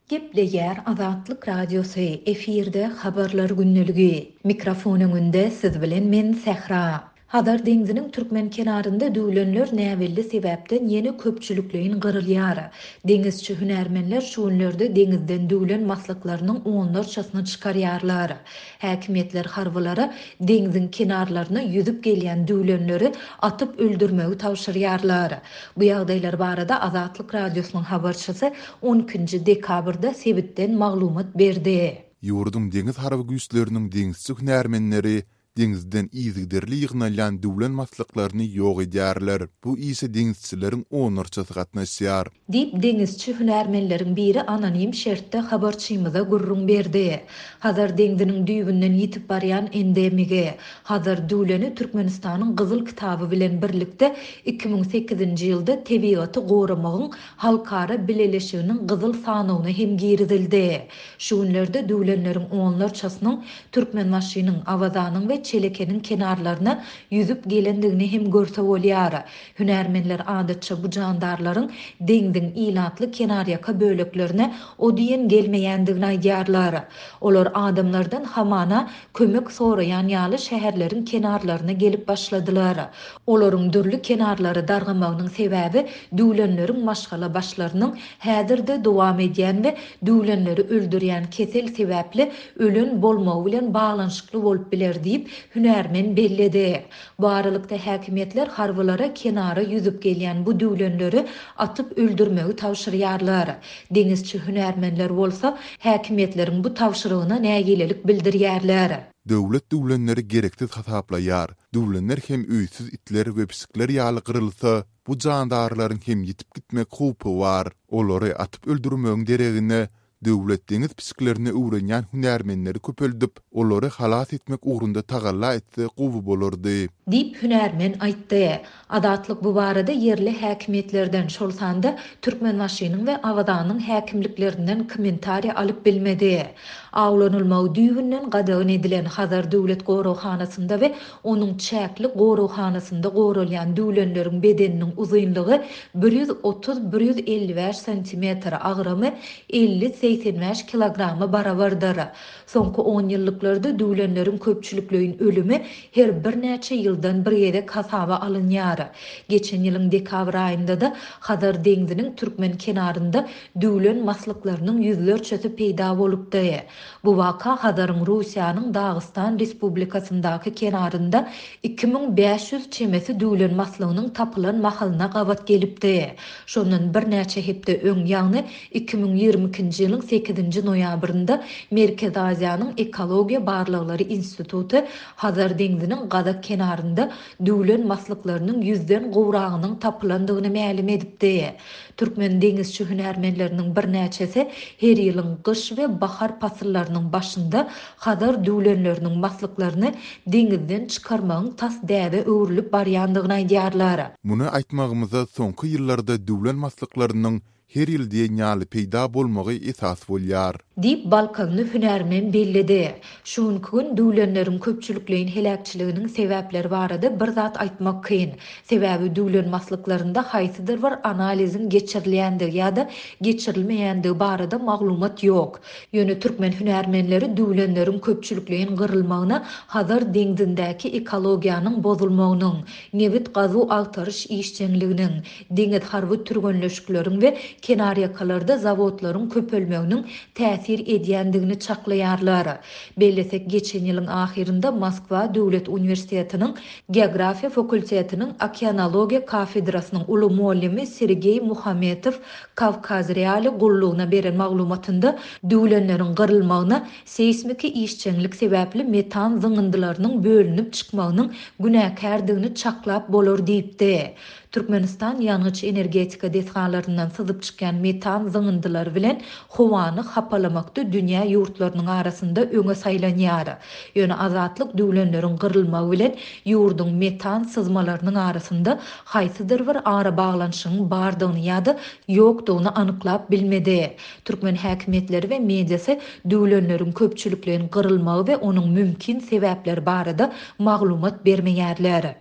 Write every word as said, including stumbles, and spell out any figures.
Gepleýär Azatlyk Radiosy, efirde Habarlar gündeligi. Mikrofon öňünde siz bilen men Sähra. Hazar deňziniň türkmen kenarynda düwlenler näbelli sebäpden ýene köpçülikleýin gyrylýar. Deňizçi hünärmenler şu günlerde deňizden düwlen maslyklarynyň onlarçasyny çykarýarlar. Häkimiýetler harbylara deňziň kenarlaryna ýüzüp gelýän düwlenleri atyp öldürmegi tabşyrýarlar. Bu ýagdaýlar barada Azatlyk Radiosynyň habarçysy on ikinji dekabrda sebitden maglumat berdi. Ýurduň deňiz harby güýçleriniň deňizçi hünärmenleri deňizden yzygiderli ýygnalýan düwlen maslyklaryny ýok edýärler. Bu işe deňizçileriň onlarçasy gatnaşýar. Diýip, deňizçi hünärmenleriň biri anonim şertde habarçymyza gürrüň berdi. Hazar deňziniň düýbünden ýitip barýan endemigi Hazar düwleni Türkmenistanyň Gyzyl kitaby bilen birlikde iki müň sekizinji ýylda tebigaty goramagyň halkara bileleşiginiň gyzyl sanawyna hem girizildi. Şu günlerde düwlenleriň onlarçasynyň Türkmenbaşynyň, Awazanyň we Çelekeniň kenarlaryna ýüzüp gelendigini hem görse bolýar. Hünärmenler adatça bu jandarlaryň deňziň ilatly kenarýaka böleklerine o diýen gelmeýändigini aýdýarlar. Olar adamlardan hamana kömek soraýan ýaly şäherleriň kenarlaryna gelip başladylar. Olaryň dürli kenarlary dargamagynyň sebäbi düwlenleriň maşgala başlarynyň häzirde dowam edýän we düwlenleri öldürýän kesel sebäpli ölen bolmagy bilen baglanyşykly bolup biler diýip hünärmen belledi. Bu aralykda häkimiýetler harbylara kenara ýüzüp gelýän bu düwlenleri atyp öldürmegi tabşyrýarlar. Deňizçi hünärmenler bolsa häkimiýetleriň bu tabşyrygyna nägilelik bildirýärler. Döwlet düwlenleri gereksiz hasaplaýar. Düwlenler hem öýsüz itler we pişikler ýaly gyrylsa, bu jandarlaryň hem ýitip gitmek howpy bar. Olary atyp öldürmegiň deregine döwlet deňiz pişiklerini öwrenýän hünärmenleri köpeldip, olary halas etmek ugrunda tagalla etse gowy bolardy. Diýip hünärmen aýtdy. Azatlyk bu barada ýerli häkimiýetlerden, şol sanda Türkmenbaşynyň we Awazanyň häkimliklerinden kommentariýa alyp bilmedi. Awlanylmagy düýbünden gadagan edilen Hazar döwlet goraghanasynda we onuň çäkli goraghanasynda goralýan düwlenleriň bedeniniň uzynlygy bir ýüz otuz bir ýüz elli bäş santimetr, agramy elli segsen bäş kilograma barabardyr. Soňky on ýyllyklarda düwlenleriň köpçülikleýin ölümi her birnäçe ýyldan bir gezek hasaba alynýar. Geçen ýylyň dekabr aýynda-da Hazar deňziniň türkmen kenarynda düwlen maslyklarynyň ýüzlerçesi peýda bolupdy. Bu waka Hazaryň Russiýanyň Dagystan Respublikasyndaky kenarynda iki müň bäş ýüz çemesi düwlen maslygynyň tapylan mahalyna gabat gelipdi. Şondan birnäçe hepde öň, ýagny iki müň ýigrimi ikinji ýylyň sekizinji noýabrynda Merkezi Aziýanyň Ekologiýa Barlaglary Instituty Hazar deňziniň Gazak kenarynda düwlen maslyklarynyň ýüzden gowragynyň tapylandygyny mälim edipdi. Türkmen deňizçi hünärmenleriniň birnäçesi her ýylyň gyş we bahar pasyllarynyň başynda Hazar düwlenleriniň maslyklaryny deňizden çykarmagyň tas däbe öwrülip barýandygyny aýdýarlar. Muny aýtmagymyza soňky ýyllarda düwlen maslyklarynyň her ýyl diýen ýaly peýda bolmagy esas bolýar. Diýip Balkanly hünärmen belledi. Şu günki gün düwlenleriň köpçülikleýin heläkçiliginiň sebäpleri barada bir zat aýtmak kyn. Sebäbi düwlen maslyklarynda haýsydyr bir analiziň geçirilýändigi ýa-da geçirilmeýändigi barada maglumat ýok. Ýöne türkmen hünärmenleri düwlenleriň köpçülikleýin gyrylmagyna Hazar deňzindäki ekologiýanyň bozulmagynyň, nebit gazuw agtaryş işjeňliginiň, deňiz harby türgenleşikleriň we kenarýakalarda zawodlaryň köpelmeginiň täsir edýändigini çaklaýarlar. Bellesek, geçen ýylyň ahyrynda Moskwa Döwlet Uniwersitetiniň Geografiýa fakultetiniň Okeanologiýa kafedrasynyň uly muallimi Sergeý Muhametow Kawkaz Reali gullugyna beren maglumatynda düwlenleriň gyrylmagyna seýsmiki işjeňlik sebäpli metan zyňyndylarynyň bölünip çykmagynyň günäkärdigini çaklap bolar diýipdi. Türkmenistan ýangyç energetika desgalaryndan syzyp çykýan metan zyňyndylary bilen howany hapalamakda dünýä ýurtlarynyň arasynda öňe saýlanýar. Ýöne azatlyk düwlenleriň gyrylmagy bilen ýurduň metan syzmalarynyň arasynda haýsydyr bir arabaglanyşygyň bardygyny ýa-da ýokdugyny anyklap bilmedi. Türkmen häkimiýetleri we mediasy düwlenleriň köpçülikleýin gyrylmagy we onuň mümkin sebäpleri barada maglumat bermeýärler.